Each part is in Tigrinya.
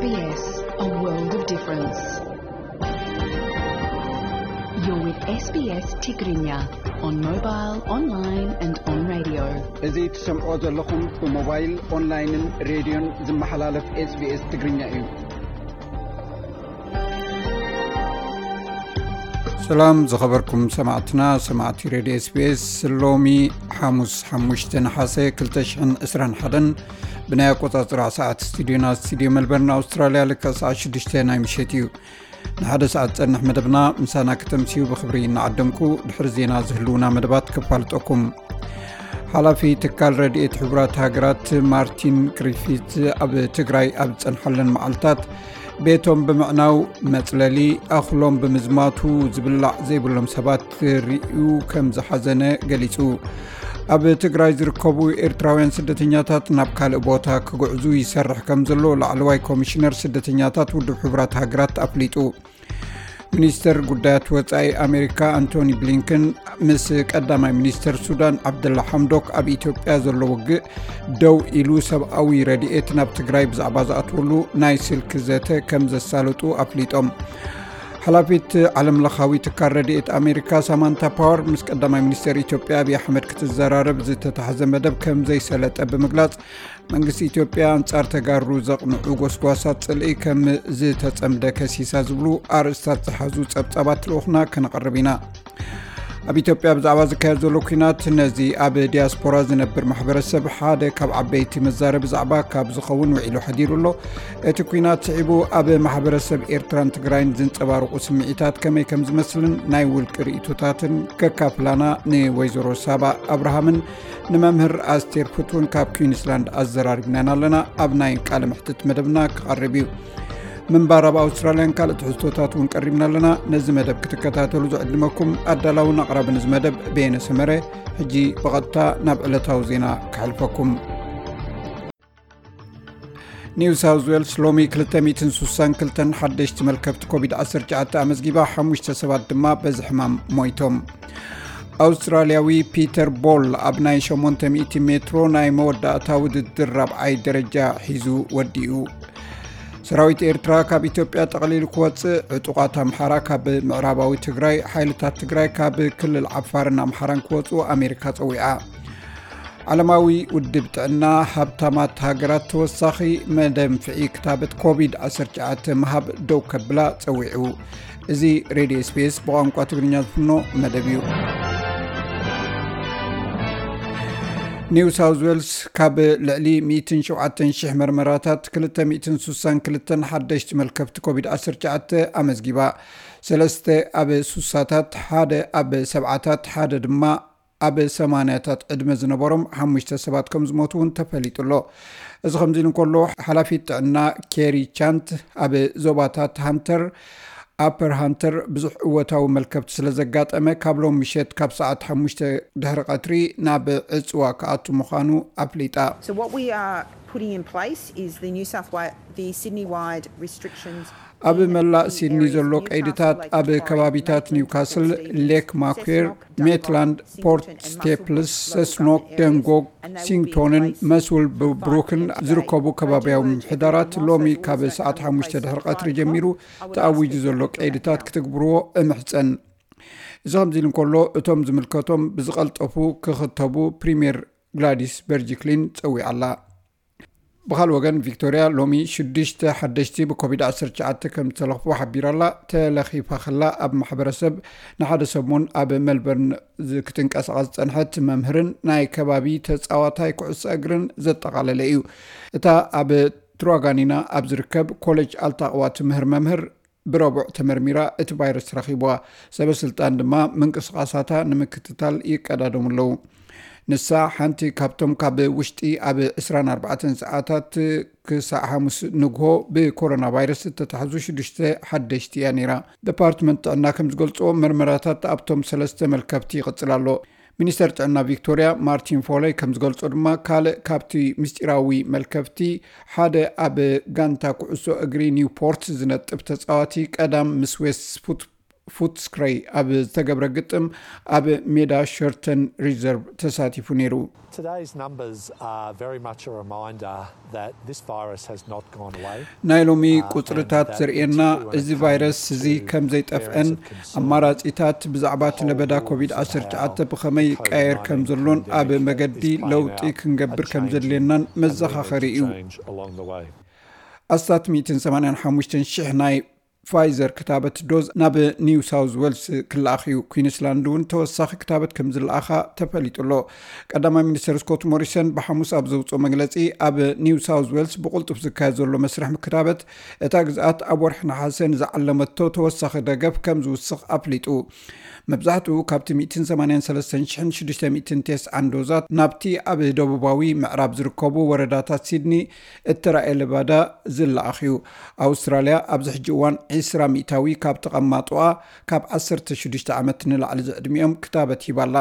S B S, a world of difference. You're with S B S Tigrinya on mobile, online and on radio. እዚ ትሰምዖ ዘለኹም ብሞባይል፣ ኦንላይንን ሬድዮን ዝመሓላለፍ SBS ትግርኛ እዩ። ሰላም ዝኸበርኩም ሰማዕትና፣ ሰማዕቲ ሬድዮ SBS። ሎሚ ሓሙስ ሓሙሽተ ነሓሰ ክልተ ሽሕን ዕስራን ሓደን ብናይ ኣቆጻጽራ ሰዓት ስቱዲዮና፣ ስቱዲዮ መልበርን ኣውስትራልያ፣ ልክዕ ሰዓት ሽዱሽተ ናይ ምሸት እዩ። ንሓደ ሰዓት ጸንሕ መደብና ምሳና ከተምስዩ ብኽብሪ እናዓደምኩ፣ ድሕሪ ዜና ዝህልውና መደባት ከፋልጠኩም። ሓላፊ ትካል ረድኤት ሕቡራት ሃገራት ማርቲን ግሪፊት ኣብ ትግራይ ኣብ ዝጸንሓለን መዓልታት ቤቶም ብምዕናው፣ መጽለሊ ኣኽሎም ብምዝማቱ፣ ዝብላዕ ዘይብሎም ሰባት ርእዩ ከም ዝሓዘነ ገሊጹ። ኣብ ትግራይ ዝርከቡ ኤርትራውያን ስደተኛታት ናብ ካልእ ቦታ ክጉዕዙ ይሰርሕ ከም ዘሎ ላዕለዋይ ኮሚሽነር ስደተኛታት ውድብ ሕቡራት ሃገራት ኣፍሊጡ። ሚኒስተር ጉዳያት ወጻኢ ኣሜሪካ ኣንቶኒ ብሊንከን ምስ ቀዳማይ ሚኒስተር ሱዳን ዓብደላ ሓምዶክ ኣብ ኢትዮጵያ ዘሎ ውግእ ደው ኢሉ ሰብኣዊ ረድኤት ናብ ትግራይ ብዛዕባ ዝኣትወሉ ናይ ስልኪ ዘተ ከም ዘሳለጡ ኣፍሊጦም። ሓላፊት ዓለምለኻዊ ትካል ረድኤት ኣሜሪካ ሳማንታ ፓወር ምስ ቀዳማይ ሚኒስተር ኢትዮጵያ ኣብይ ኣሕመድ ክትዘራረብ ዝተታሕዘ መደብ ከም ዘይሰለጠ ብምግላጽ፣ መንግስቲ ኢትዮጵያ ኣንጻር ተጋሩ ዘቕንዑ ጎስጓሳት ጽልኢ ከም ዝተጸምደ ከሲሳ ዝብሉ ኣርእስታት ዝሓዙ ጸብጻባት ልኡኽና ከነቕርብ ኢና። ኣብ ኢትዮጵያ ብዛዕባ ዝካየድ ዘሎ ኲናት ነዚ ኣብ ዲያስፖራ ዝነብር ማሕበረሰብ ሓደ ካብ ዓበይቲ መዛረቢ ዛዕባ ካብ ዝኸውን ውዒሉ ሓዲሩ ኣሎ። እቲ ኲናት ስዒቡ ኣብ ማሕበረሰብ ኤርትራን ትግራይን ዝንጸባረቑ ስምዒታት ከመይ ከም ዝመስልን ናይ ውልቂ ርእይቶታትን ከካፍላና ንወይዘሮ ሳባ ኣብርሃምን ንመምህር ኣስቴር ፍቱን ካብ ኩዊንስላንድ ኣዘራሪብናን ኣለና። ኣብ ናይ ቃለ መሕትት መደብና ክቐርብ እዩ። ምንባር ኣብ ኣውስትራልያን ካልእ ትሕዝቶታት እውን ቀሪብና ኣለና። ነዚ መደብ ክትከታተሉ ዝዕድመኩም ኣዳላውን ኣቕራብን እዚ መደብ በየነ ሰመረ። ሕጂ ብቐጥታ ናብ ዕለታዊ ዜና ከሕልፈኩም። ኒው ሳውዝ ዌልስ ሎሚ ክልተ ሚእትን ስሳን ክልተን ሓደሽቲ መልከፍቲ ኮቪድ ዓሰርተ ትሽዓተ ኣመዝጊባ፣ ሓሙሽተ ሰባት ድማ በዚ ሕማም ሞይቶም። ኣውስትራልያዊ ፒተር ቦል ኣብ ናይ ሸሞንተ ሚእቲ ሜትሮ ናይ መወዳእታ ውድድር ራብዓይ ደረጃ ሒዙ ወዲኡ። ሰራዊት ኤርትራ ካብ ኢትዮጵያ ጠቕሊሉ ክወጽእ፣ ዕጡቓት ኣምሓራ ካብ ምዕራባዊ ትግራይ፣ ሓይልታት ትግራይ ካብ ክልል ዓፋርን ኣምሓራን ክወጽኡ ኣሜሪካ ጸዊዓ። ዓለማዊ ውድብ ጥዕና፣ ሃብታማት ሃገራት ተወሳኺ መደንፍዒ ክታበት ኮቪድ ዓሰርተ ትሽዓተ ምሃብ ደው ከብላ ጸዊዑ። እዚ ሬድዮ SBS ብቋንቋ ትግርኛ ዝፍኖ መደብ እዩ። ኒው ሳውዝ ዌልስ ካብ ልዕሊ ሚእትን ሸውዓተን ሽሕ መርመራታት ክልተ ሚእትን ስሳን ክልተን ሓደሽቲ መልከፍቲ ኮቪድ ዓሰርተ ትሽዓተ ኣመዝጊባ። ሰለስተ ኣብ ስሳታት፣ ሓደ ኣብ ሰብዓታት፣ ሓደ ድማ ኣብ ሰማንያታት ዕድመ ዝነበሮም ሓሙሽተ ሰባት ከም ዝሞቱ እውን ተፈሊጡ ኣሎ። እዚ ከምዚ ኢሉ እንከሎ፣ ሓላፊት ጥዕና ኬሪ ቻንት ኣብ ዞባታት ሃንተር፣ ኣፐር ሃንተር ብዙሕ እወታዊ መልከፍቲ ስለ ዘጋጠመ፣ ካብ ሎም ምሸት ካብ ሰዓት ሓሙሽተ ድሕሪ ቀትሪ ናብ ዕጽዋ ክኣቱ ምዃኑ ኣፍሊጣ። So what we are putting in place is the New South Wales, the Sydney-wide restrictions ኣብ in መላእ the ሲድኒ areas ዘሎ of Newcastle, ቀይድታት Lake ኣብ Macquarie, ከባቢታት Maitland, ኒውካስል፣ Portsea, ሌክ ማኩዌር፣ Cessnock, ሜትላንድ፣ Singleton ፖርት and ስቴፕልስ፣ Muswellbrook, ሰስኖክ፣ Muswellbrook and ደንጎግ፣ Maitland, and they will be in ሲንግቶንን place መስውል for five ብሩክን p.m. today. ዝርከቡ ከባቢያዊ ምምሕዳራት ሎሚ ካብ ሰዓት ሓሙሽተ ድሕሪ ቀትሪ ጀሚሩ ተኣዊጁ ዘሎ ቀይድታት ክትግብርዎ እምሕጸን። እዚ ከምዚ ኢሉ እንከሎ፣ እቶም ዝምልከቶም ብዝቐልጠፉ ክኽተቡ ፕሪምየር ግላዲስ በርጂክሊን ጸዊዓ ኣላ። ብኻልእ ወገን፣ ቪክቶርያ ሎሚ ሽዱሽተ ሓደሽቲ ብኮቪድ ዓሰርተ ትሽዓተ ከም ዝተለኽፉ ሓቢራ ኣላ። ተለኺፋ ከላ ኣብ ማሕበረሰብ ንሓደ ሰሙን ኣብ ሜልበርን ዝ-፣ ክትንቀሳቐስ ዝጸንሐት መምህርን ናይ ከባቢ ተጻዋታይ ኩዕሶ እግርን ዘጠቓለለ እዩ። እታ ኣብ ትሩዋጋኒና ኣብ ዝርከብ ኮሌጅ ኣልታቕዋ ትምህር መምህር ብረቡዕ ተመርሚራ እቲ ቫይረስ ረኺብዋ። ሰበ ስልጣን ድማ ምንቅስቓሳታ ንምክትታል ይቀዳደሙ ኣለዉ። ንሳ ሓንቲ ካብቶም ካብ ውሽጢ ኣብ ዕስራን ኣርባዕተን ሰዓታት ክሳዕ ሓሙስ ንግሆ ብኮሮና ቫይረስ እተታሕዙ ሽዱሽተ ሓደሽቲ እያ ነይራ። ዲፓርትመንት ጥዕና ከም ዝገልጾ፣ መርመራታት ኣብቶም ሰለስተ መልከፍቲ ይቕጽል ኣሎ። ሚኒስተር ጥዕና ቪክቶርያ ማርቲን ፎለይ ከም ዝገልጾ ድማ፣ ካልእ ካብቲ ምስጢራዊ መልከፍቲ ሓደ ኣብ ጋንታ ኩዕሶ እግሪ ኒውፖርት ዝነጥፍ ተጻዋቲ ቀዳም ምስ ዌስት ፉት ፉትስክረይ ኣብ ዝተገብረ ግጥም ኣብ ሜዳ ሸርተን ሪዘርቭ ተሳቲፉ ነይሩ። Today's numbers are very much a reminder that this virus has not gone away. ናይ ሎሚ ቁፅርታት ዘርእየና እዚ ቫይረስ እዚ ከም ዘይጠፍአን ኣማራፂታት ብዛዕባ እቲ ለበዳ ኮቪድ ዓሰርተ ትሽዓተ ብኸመይ ይቀየር ከም ዘሎን ኣብ መገዲ ለውጢ ክንገብር ከም ዘድልየናን መዘኻኸሪ እዩ። ኣስታት ሚእትን ሰማንያን ሓሙሽተን ሽሕ ናይ ፋይዘር ክታበት ዶዝ ናብ ኒው ሳውዝ ዌልስ ክለኣኽ እዩ። ኩዊንስላንድ እውን ተወሳኺ ክታበት ከም ዝለኣኻ ተፈሊጡ ኣሎ። ቀዳማይ ሚኒስትር ስኮት ሞሪሰን ብሓሙስ ኣብ ዘውፅኦ መግለፂ፣ ኣብ ኒው ሳውዝ ዌልስ ብቕልጡፍ ዝካየድ ዘሎ መስርሕ ክታበት እታ ግዝኣት ኣብ ወርሒ ነሓሰ ንዝዓለመቶ ተወሳኺ ደገፍ ከም ዝውስኽ ኣፍሊጡ። መብዛሕትኡ ካብቲ ሚእትን ሰማንያን ሰለስተን ሽሕን ሽዱሽተ ሚእትን ቴስዓን ዶዛት ናብቲ ኣብ ደቡባዊ ምዕራብ ዝርከቡ ወረዳታት ሲድኒ እተራእየ ለበዳ ዝለኣኽ እዩ። ኣውስትራልያ ኣብዚ ሕጂ እዋን ዕስራ ሚእታዊ ካብ ተቐማጦኣ ካብ ዓሰርተ ሽዱሽተ ዓመት ንላዕሊ ዝዕድሚኦም ክታበት ሂባ ኣላ።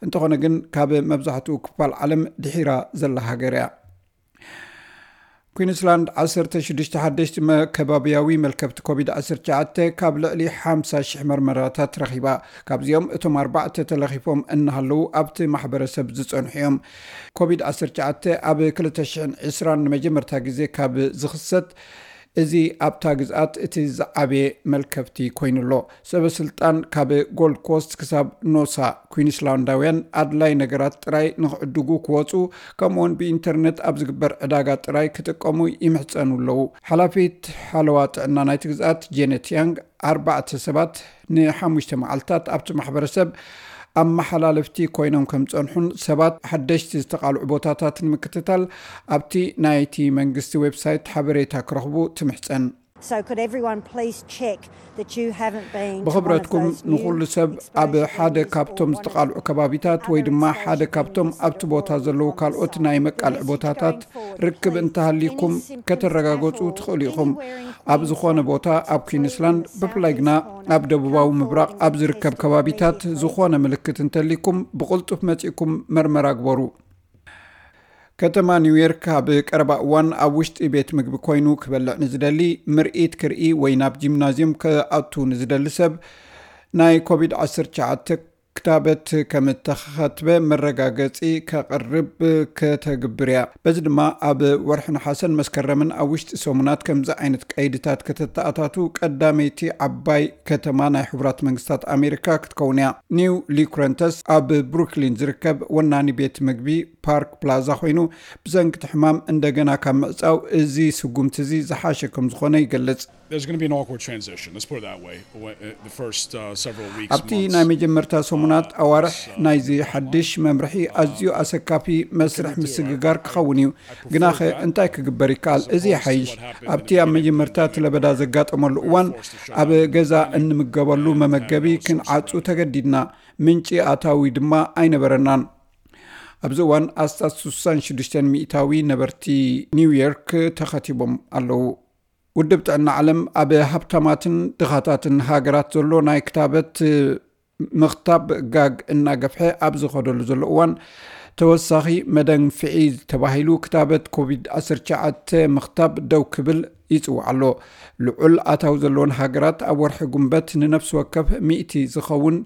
እንተኾነ ግን ካብ መብዛሕትኡ ክፋል ዓለም ድሒራ ዘላ ሃገር እያ። ኩዊንስላንድ ዓሰርተ ሽዱሽተ ሓደሽቲ መ-፣ ከባብያዊ መልከፍቲ ኮቪድ ዓሰርተ ትሽዓተ ካብ ልዕሊ ሓምሳ ሽሕ መርመራታት ረኺባ። ካብዚኦም እቶም ኣርባዕተ ተለኺፎም እናሃለዉ ኣብቲ ማሕበረሰብ ዝጸንሑ እዮም። ኮቪድ ዓሰርተ ትሽዓተ ኣብ ክልተ ሽሕን ዕስራን ንመጀመርታ ግዜ ካብ ዝኽሰት፣ እዚ ኣብታ ግዝኣት እቲ ዝዓበየ መልከፍቲ ኮይኑ ኣሎ። ሰበ ስልጣን ካብ ጎልድ ኮስት ክሳብ ኖሳ ኩዊንስላንዳውያን ኣድላይ ነገራት ጥራይ ንክዕድጉ ክወፁ፣ ከምኡውን ብኢንተርነት ኣብ ዝግበር ዕዳጋ ጥራይ ክጥቀሙ ይምሕፀኑ ኣለዉ። ሓላፊት ሓለዋ ጥዕና ናይቲ ግዝኣት ጄነት ያንግ፣ ኣርባዕተ ሰባት ንሓሙሽተ መዓልታት ኣብቲ ማሕበረሰብ ኣመሓላለፍቲ ኮይኖም ከም ዝፀንሑን ሰባት ሓደሽቲ ዝተቓልዑ ቦታታት ንምክትታል ኣብቲ ናይቲ መንግስቲ ዌብሳይት ሓበሬታ ክረኽቡ ትምሕፀን። So could everyone please check that you haven't been to one of ብኽብረትኩም those new ንኹሉ ሰብ ኣብ exposure ሓደ areas ካብቶም or one ዝተቓልዑ of ከባቢታት ወይ ድማ ሓደ ካብቶም ኣብቲ ቦታ ዘለዉ ካልኦት ናይ መቃልዒ ቦታታት ርክብ እንተሃልይኩም ከተረጋገፁ ትኽእሉ ኢኹም። ኣብ ዝኾነ ቦታ ኣብ ኩዊንስላንድ፣ ብፍላይ ግና ኣብ ደቡባዊ ምብራቕ ኣብ ዝርከብ ከባቢታት ዝኾነ ምልክት እንተልይኩም ብቕልጡፍ መጺእኩም መርመራ ግበሩ። ከተማ ኒውዮርክ ኣብ ቀረባ እዋን ኣብ ውሽጢ ቤት ምግቢ ኮይኑ ክበልዕ ንዝደሊ፣ ምርኢት ክርኢ ወይ ናብ ጂምናዝየም ክኣቱ ንዝደሊ ሰብ ናይ ኮቪድ ዓሰርተ ትሽዓተ ክታበት ከም እተኸትበ መረጋገጺ ከቕርብ ከተግብር እያ። በዚ ድማ ኣብ ወርሒ ነሓሰን መስከረምን ኣብ ውሽጢ ሰሙናት ከምዚ ዓይነት ቀይድታት ከተተኣታቱ ቀዳመይቲ ዓባይ ከተማ ናይ ሕቡራት መንግስታት ኣሜሪካ ክትከውን እያ። ኒው ሊኩረንተስ ኣብ ብሩክሊን ዝርከብ ወናኒ ቤት ምግቢ ፓርክ ፕላዛ ኮይኑ፣ ብሰንኪ እቲ ሕማም እንደገና ካብ ምዕጻው እዚ ስጉምቲ እዚ ዝሓሸ ከም ዝኾነ ይገልጽ። There's going to be an awkward transition. Let's put it that way. When, uh, the first uh, several weeks, ኣብቲ ናይ መጀመርታ ሰሙናት ኣዋርሕ ናይዚ ሓድሽ መምርሒ ኣዝዩ ኣሰካፊ መስርሕ ምስግጋር ክኸውን እዩ። ግናኸ እንታይ ክግበር ይከኣል? እዚ ይሓይሽ። ኣብቲ ኣብ መጀመርታ እቲ ለበዳ ዘጋጠመሉ እዋን ኣብ ገዛ እንምገበሉ መመገቢ ክንዓጹ ተገዲድና። ምንጪ ኣታዊ ድማ ኣይነበረናን። ኣብዚ እዋን ኣስታት ስሳን ሽዱሽተን ሚእታዊ ነበርቲ ኒውዮርክ ተኸቲቦም ኣለዉ። ውድብ ጥዕና ዓለም ኣብ ሃብታማትን ድኻታትን ሃገራት ዘሎ ናይ ክታበት ምኽታብ ጋግ እናገፍሐ ኣብ ዝኸደሉ ዘሎ እዋን፣ ተወሳኺ መደንፍዒ ተባሂሉ ክታበት ኮቪድ ዓሰርተ ትሽዓተ ምኽታብ ደው ክብል ይጽውዕ ኣሎ። ልዑል ኣታዊ ዘለወን ሃገራት ኣብ ወርሒ ጉንበት ንነፍሲ ወከፍ ሚእቲ ዝኸውን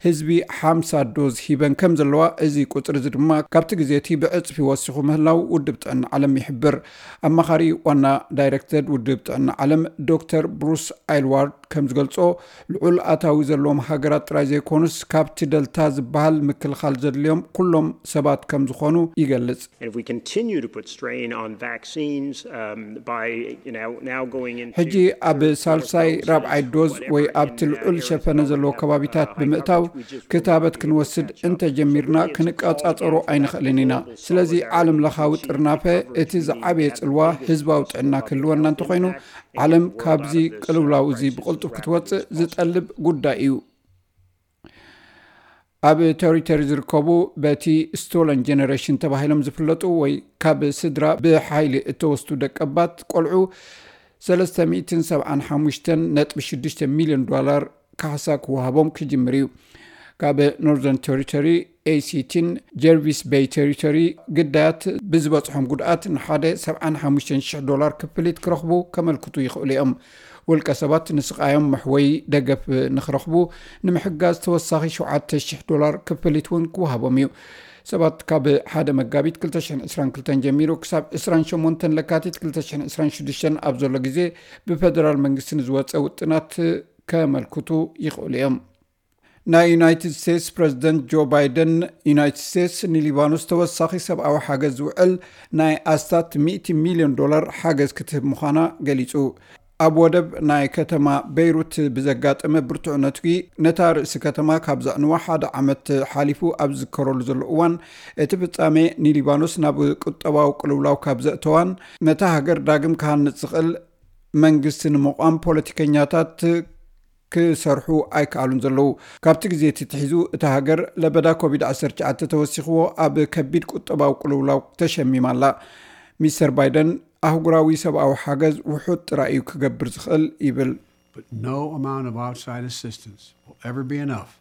ህዝቢ ሓምሳ ዶዝ ሂበን ከም ዘለዋ፣ እዚ ቁጽሪ እዚ ድማ ካብቲ ግዜ እቲ ብዕጽፊ ወሲኹ ምህላው ውድብ ጥዕና ዓለም ይሕብር። ኣማኻሪ ዋና ዳይሬክተር ውድብ ጥዕና ዓለም ዶክተር ብሩስ ኣይልዋርድ ከም ዝገልጾ፣ ልዑል ኣታዊ ዘለዎም ሃገራት ጥራይ ዘይኮኑስ፣ ካብቲ ደልታ ዝበሃል ምክልኻል ዘድልዮም ኩሎም ሰባት ከም ዝኾኑ ይገልጽ። And if we continue to put strain on vaccines um, by you know, now going into ሕጂ ኣብ ሳልሳይ ራብዓይ ዶዝ ወይ ኣብቲ ልዑል ሸፈነ ዘለዎ ከባቢታት ብምእታው ክታበት ክንወስድ እንተጀሚርና ክንቀጻጸሮ ኣይንኽእልን ኢና። ስለዚ ዓለም ለኻዊ ጥርናፈ እቲ ዝዓበየ ጽልዋ ህዝባዊ ጥዕና ክህልወና እንተኾይኑ ዓለም ካብዚ ቅልውላው እዚ ብቕልጡፍ ክትወጽእ ዝጠልብ ጉዳይ እዩ። ኣብ ቴሪቶሪ ዝርከቡ በቲ ስቶለን ጀነሬሽን ተባሂሎም ዝፍለጡ ወይ ካብ ስድራ ብሓይሊ እተወስዱ ደቀባት ቆልዑ ሰለስተ ሚእትን ሰብዓን ሓሙሽተን ነጥቢ ሽዱሽተ ሚልዮን ዶላር ካሕሳ ክወሃቦም ክጅምር እዩ። ካብ ኖርዘርን ቴሪቶሪ፣ ኤሲቲን ጀርቪስ ቤይ ቴሪቶሪ ግዳያት ብዝበፅሖም ጉድኣት ንሓደ ሰብዓን ሓሙሽተን ሽሕ ዶላር ክፍሊት ክረኽቡ ከመልክቱ ይኽእሉ እዮም። ውልቀ ሰባት ንስቓዮም መሕወይ ደገፍ ንክረኽቡ ንምሕጋዝ ተወሳኺ ሸውዓተ ሽሕ ዶላር ክፍሊት እውን ክወሃቦም እዩ። ሰባት ካብ ሓደ መጋቢት ክልተ ሽሕን ዕስራን ክልተን ጀሚሩ ክሳብ ዕስራን ሸሞንተን ለካቲት ክልተ ሽሕን ዕስራን ሽዱሽተን ኣብ ዘሎ ግዜ ብፌደራል መንግስቲ ንዝወፀ ውጥናት ከመልክቱ ይኽእሉ እዮም። ናይ ዩናይትድ ስቴትስ ፕረዚደንት ጆ ባይደን፣ ዩናይትድ ስቴትስ ንሊባኖስ ተወሳኺ ሰብኣዊ ሓገዝ ዝውዕል ናይ ኣስታት ሚእቲ ሚልዮን ዶላር ሓገዝ ክትህብ ምዃና ገሊጹ። ኣብ ወደብ ናይ ከተማ ቤይሩት ብዘጋጠመ ብርቱዕ ነትጒ ነታ ርእሲ ከተማ ካብ ዘዕንዋ ሓደ ዓመት ሓሊፉ ኣብ ዝዝከረሉ ዘሎ እዋን፣ እቲ ፍጻሜ ንሊባኖስ ናብ ቁጠባዊ ቅልውላው ካብ ዘእተዋን ነታ ሃገር ዳግም ክሃንጽ ዝኽእል መንግስቲ ንምቋም ፖለቲከኛታት ክሰርሑ ኣይከኣሉን ዘለዉ። ካብቲ ግዜ እቲ ትሒዙ እታ ሃገር ለበዳ ኮቪድ ዓሰርተ ትሽዓተ ተወሲኽዎ ኣብ ከቢድ ቁጠባዊ ቅልውላው ተሸሚማ ኣላ። ሚስተር ባይደን ኣህጉራዊ ሰብኣዊ ሓገዝ ውሑድ ጥራይ እዩ ክገብር ዝኽእል ይብል። But no amount of outside assistance will ever be enough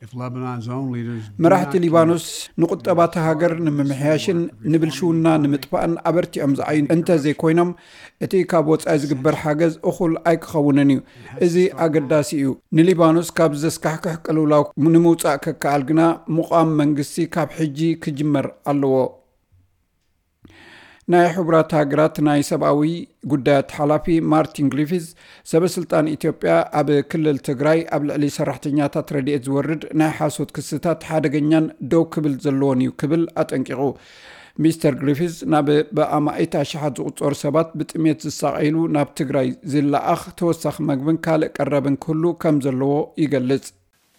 if Lebanon's own leaders do መራሕቲ not ሊባኖስ ንቁጠባ እታ ሃገር ንምምሕያሽን ንብልሽውና ንምጥፋእን ኣበርቲዖም ዝዓዩ እንተዘይኮይኖም፣ እቲ ካብ ወጻኢ ዝግበር ሓገዝ እኹል ኣይክኸውንን እዩ። እዚ ኣገዳሲ እዩ። ንሊባኖስ ካብ ዘስካሕክሕ ቅልውላው ንምውጻእ ከከኣል ግና ምቋም መንግስቲ ካብ ሕጂ ክጅመር ኣለዎ። ናይ ሕቡራት ሃገራት ናይ ሰብኣዊ ጉዳያት ሓላፊ ማርቲን ግሪፊዝ፣ ሰበ ስልጣን ኢትዮጵያ ኣብ ክልል ትግራይ ኣብ ልዕሊ ሰራሕተኛታት ረድኤት ዝወርድ ናይ ሓሶት ክስታት ሓደገኛን ደው ክብል ዘለዎን እዩ ክብል ኣጠንቂቑ። ሚስተር ግሪፊዝ ናብ ብኣማኢት ኣሽሓት ዝቑጸሩ ሰባት ብጥሜት ዝሳቐይሉ ናብ ትግራይ ዝለኣኽ ተወሳኺ መግብን ካልእ ቀረብን ክህሉ ከም ዘለዎ ይገልጽ።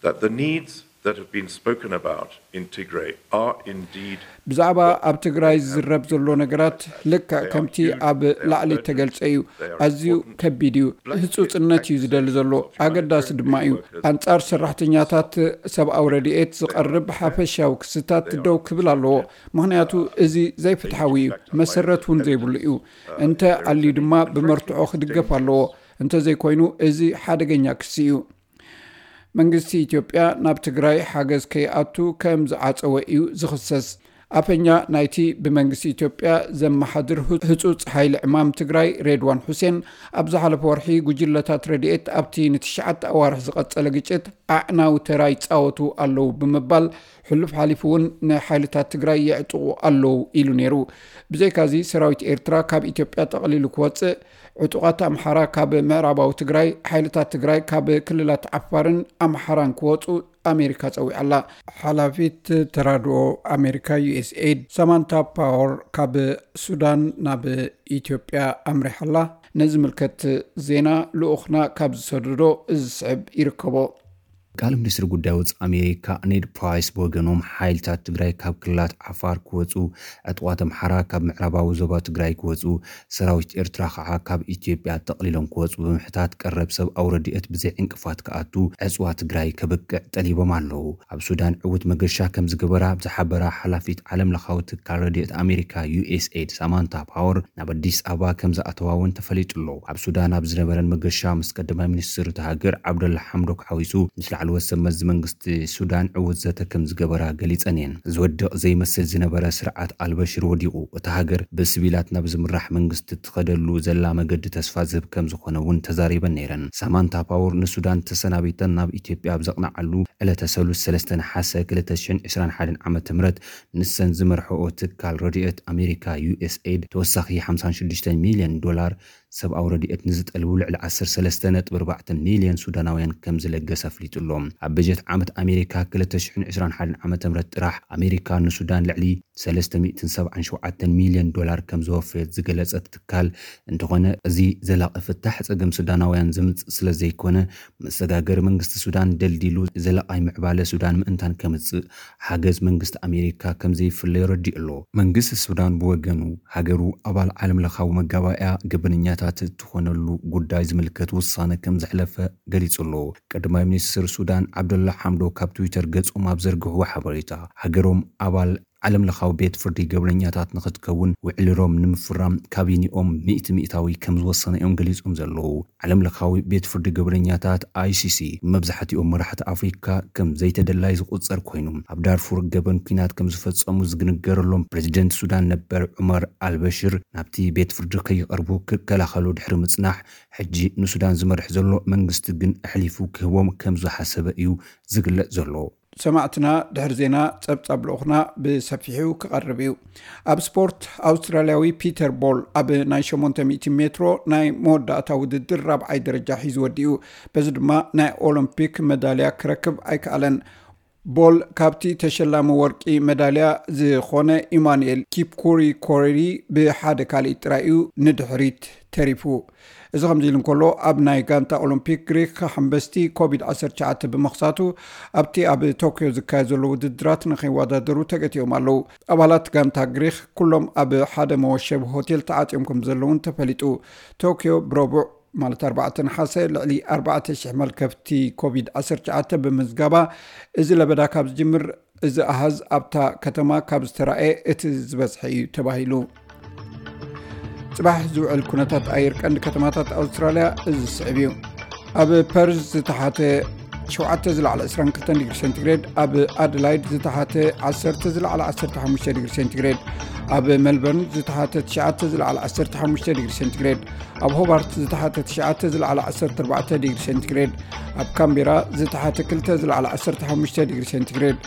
That the needs that have been spoken about in Tigray are indeed ብዛዕባ ኣብ ትግራይ ዝዝረብ ዘሎ ነገራት ልክዕ ከምቲ ኣብ ላዕሊ ተገልጸ እዩ። ኣዝዩ ከቢድ እዩ። ህጹጽነት እዩ ዝደሊ ዘሎ። ኣገዳሲ ድማ እዩ። ኣንጻር ሰራሕተኛታት ሰብኣዊ ረድኤት ዝቐርብ ሓፈሻዊ ክስታት ደው ክብል ኣለዎ። ምኽንያቱ እዚ ዘይፍትሓዊ እዩ። መሰረት እውን ዘይብሉ እዩ። እንተ ኣልዩ ድማ ብመርትዖ ክድገፍ ኣለዎ። እንተዘይኮይኑ እዚ ሓደገኛ ክሲ እዩ። መንግስቲ ኢትዮጵያ ናብ ትግራይ ሓገዝ ከይኣቱ ከም ዝዓጸወ እዩ ዝኽሰስ። ኣፈኛ ናይቲ ብመንግስቲ ኢትዮጵያ ዘመሓድር ህጹጽ ሓይሊ ዕማም ትግራይ ሬድዋን ሑሴን ኣብ ዝሓለፈ ወርሒ ጉጅለታት ረድኤት ኣብቲ ንትሽዓተ ኣዋርሕ ዝቐጸለ ግጭት ኣዕናዊ ተራ ይጻወቱ ኣለዉ ብምባል ሕሉፍ ሓሊፉ እውን ንሓይልታት ትግራይ የዕጥቑ ኣለዉ ኢሉ ነይሩ። ብዘይካዚ ሰራዊት ኤርትራ ካብ ኢትዮጵያ ጠቕሊሉ ክወጽእ፣ ዕጡቓት ኣምሓራ ካብ ምዕራባዊ ትግራይ፣ ሓይልታት ትግራይ ካብ ክልላት ዓፋርን ኣምሓራን ክወጹ ኣሜሪካ ጸዊዓ ኣላ። ሓላፊት ተራድኦ ኣሜሪካ ዩኤስኤድ ሳማንታ ፓወር ካብ ሱዳን ናብ ኢትዮጵያ ኣምሪሓ ኣላ። ነዚ ምልከት ዜና ልኡኽና ካብ ዝሰደዶ እዚ ዝስዕብ ይርከቦ። ቃል ሚኒስትሪ ጉዳይ ወፃኢ ኣሜሪካ ኔድ ፕራይስ ብወገኖም ሓይልታት ትግራይ ካብ ክልላት ዓፋር ክወፁ፣ ዕጥቋት ኣምሓራ ካብ ምዕራባዊ ዞባ ትግራይ ክወፁ፣ ሰራዊት ኤርትራ ከዓ ካብ ኢትዮጵያ ጠቕሊሎም ክወፁ ብምሕታት ቀረብ ሰብኣዊ ረድኤት ብዘይ ዕንቅፋት ክኣቱ ዕፅዋ ትግራይ ከብቅዕ ጠሊቦም ኣለዉ። ኣብ ሱዳን ዕዉት መገሻ ከም ዝገበራ ብዝሓበራ ሓላፊት ዓለም ለኻዊ ትካል ረድኤት ኣሜሪካ ዩኤስኤድ ሳማንታ ፓወር ናብ ኣዲስ ኣበባ ከም ዝኣተዋ እውን ተፈሊጡ ኣሎ። ኣብ ሱዳን ኣብ ዝነበረን መገሻ ምስ ቀዳማይ ሚኒስትር እታ ሃገር ዓብደላ ሓምዶክ ሓዊሱ ምስ ላዕለዎት ሰብ መዚ መንግስቲ ሱዳን ዕዉት ዘተ ከም ዝገበራ ገሊጸን እየን። ዝወድቕ ዘይመስል ዝነበረ ስርዓት ኣልበሽር ወዲቑ፣ እታ ሃገር ብስቪላት ናብ ዝምራሕ መንግስቲ ትኸደሉ ዘላ መገዲ ተስፋ ዝህብ ከም ዝኾነ እውን ተዛሪበን ነይረን። ሳማንታ ፓወር ንሱዳን ተሰናቢተን ናብ ኢትዮጵያ ኣብ ዘቕንዓሉ ዕለተ ሰሉስ ሰለስተ ነሓሰ ክልተ ሽሕን ዕስራን ሓደን ዓመተ ምህረት ንሰን ዝመርሕኦ ትካል ረድኤት ኣሜሪካ ዩኤስኤድ ተወሳኺ ሓምሳን ሽዱሽተን ሚልዮን ዶላር ሰብኣዊ ረድኤት ንዝጠልቡ ልዕሊ ዓሰርተ ሰለስተ ነጥቢ ኣርባዕተ ሚልዮን ሱዳናውያን ከም ዝለገሰ ኣፍሊጡ ኣሎ። ኣብ በጀት ዓመት ኣሜሪካ ክልተ ሽሕን ዕስራን ሓደን ዓመተ ምህረት ጥራሕ ኣሜሪካ ንሱዳን ልዕሊ ሰለስተ ሚእትን ሰብዓን ሸውዓተን ሚልዮን ዶላር ከም ዘወፈየት ዝገለጸት ትካል እንተኾነ፣ እዚ ዘላቒ ፍታሕ ጸገም ሱዳናውያን ዘምጽእ ስለ ዘይኮነ፣ መሰጋገሪ መንግስቲ ሱዳን ደልዲሉ ዘላቓይ ምዕባለ ሱዳን ምእንታን ከምጽእ ሓገዝ መንግስቲ ኣሜሪካ ከም ዘይፍለ የረዲእ ኣሎ። መንግስቲ ሱዳን ብወገኑ፣ ሃገሩ ኣባል ዓለም ለኻዊ መጋባእያ ገበነኛታት እትኾነሉ ጉዳይ ዝምልከት ውሳነ ከም ዘሕለፈ ገሊጹ ኣሎ። ቀዳማይ ሚኒስትር ሱዳን ዓብደላ ሓምዶክ ካብ ትዊተር ገጾም ኣብ ዘርግሕዎ ሓበሬታ፣ ሃገሮም ኣባል ዓለም ለኻዊ ቤት ፍርዲ ገበነኛታት ንኽትከውን ውዕሊ ሮም ንምፍራም ካቢኒኦም ሚእቲ ሚእታዊ ከም ዝወሰነ እዮም ገሊጾም ዘለዉ። ዓለም ለኻዊ ቤት ፍርዲ ገበነኛታት፣ ኣይሲሲ፣ መብዛሕትኦም መራሕቲ ኣፍሪካ ከም ዘይተደላይ ዝቑጸር ኮይኑ፣ ኣብ ዳርፉር ገበን ኲናት ከም ዝፈጸሙ ዝግንገረሎም ፕሬዚደንት ሱዳን ነበር ዑመር ኣልበሽር ናብቲ ቤት ፍርዲ ከይቐርቡ ክከላኸሉ ድሕሪ ምጽናሕ፣ ሕጂ ንሱዳን ዝመርሕ ዘሎ መንግስቲ ግን ኣሕሊፉ ክህቦም ከም ዝሓሰበ እዩ ዝግለጽ ዘሎ። ሰማዕትና፣ ድሕሪ ዜና ጸብጻብ ልኡኽና ብሰፊሑ ክቐርብ እዩ። ኣብ ስፖርት፣ ኣውስትራልያዊ ፒተር ቦል ኣብ ናይ ሸሞንተ ሚእቲ ሜትሮ ናይ መወዳእታ ውድድር ራብዓይ ደረጃ ሒዙ ወዲኡ። በዚ ድማ ናይ ኦሎምፒክ መዳልያ ክረክብ ኣይከኣለን። ቦል ካብቲ ተሸላሚ ወርቂ መዳልያ ዝኾነ ኢማኑኤል ኪፕኩሪ ኮሬሪ ብሓደ ካልእ ጥራይ እዩ ንድሕሪት ተሪፉ። እዚ ከምዚ ኢሉ እንከሎ፣ ኣብ ናይ ጋንታ ኦሎምፒክ ግሪክ ሓምበስቲ ኮቪድ ዓሰርተ ትሽዓተ ብምኽሳቱ፣ ኣብቲ ኣብ ቶክዮ ዝካየድ ዘሎ ውድድራት ንኸይወዳደሩ ተገቲኦም ኣለዉ። ኣባላት ጋንታ ግሪክ ኩሎም ኣብ ሓደ መወሸቢ ሆቴል ተዓጽዮም ከም ዘለውን ተፈሊጡ። ቶክዮ ብረቡዕ፣ ማለት ኣርባዕተ ነሓሰ፣ ልዕሊ ኣርባዕተ ሽሕ መልከፍቲ ኮቪድ ዓሰርተ ትሽዓተ ብምዝጋባ፣ እዚ ለበዳ ካብ ዝጅምር፣ እዚ ኣሃዝ ኣብታ ከተማ ካብ ዝተራእየ እቲ ዝበዝሐ እዩ ተባሂሉ። ጽባሕ ዝውዕል ኩነታት ኣየር ቀንዲ ከተማታት ኣውስትራልያ እዚ ዝስዕብ እዩ። ኣብ ፐርዝ ዝተሓተ ሸውዓተ ዝለዓለ ዕስራን ክልተን ዲግሪ ሴንቲግሬድ፣ ኣብ ኣደላይድ ዝተሓተ ዓሰርተ ዝለዓለ ዓሰርተ ሓሙሽተ ዲግሪ ሴንቲግሬድ፣ ኣብ ሜልበርን ዝተሓተ ትሽዓተ ዝለዓለ ዓሰርተ ሓሙሽተ ዲግሪ ሴንቲግሬድ፣ ኣብ ሆባርት ዝተሓተ ትሽዓተ ዝለዓለ ዓሰርተ ኣርባዕተ ዲግሪ ሴንቲግሬድ፣ ኣብ ካምቤራ ዝተሓተ ክልተ ዝለዓለ ዓሰርተ ሓሙሽተ ዲግሪ ሴንቲግሬድ፣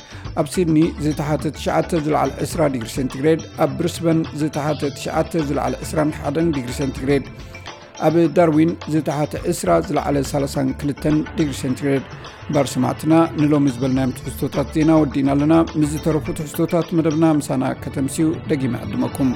ኣብ ሲድኒ ዝተሓተ ትሽዓተ ዝለዓለ ዕስራ ዲግሪ ሴንቲግሬድ፣ ኣብ ብሪስበን ዝተሓተ ትሽዓተ ዝለዓለ ዕስራን ሓደን ዲግሪ ሴንቲግሬድ፣ ኣብ ዳርዊን ዝተሓተ ዕስራ ዝለዓለ ሰላሳን ክልተን ዲግሪ ሴንቲግሬድ። እምበር ሰማዕትና፣ ንሎሚ ዝበልናዮም ትሕዝቶታት ዜና ወዲእና ኣለና። ምስ ዝተረፉ ትሕዝቶታት መደብና ምሳና ከተምስዩ ደጊመ ዕድመኩም።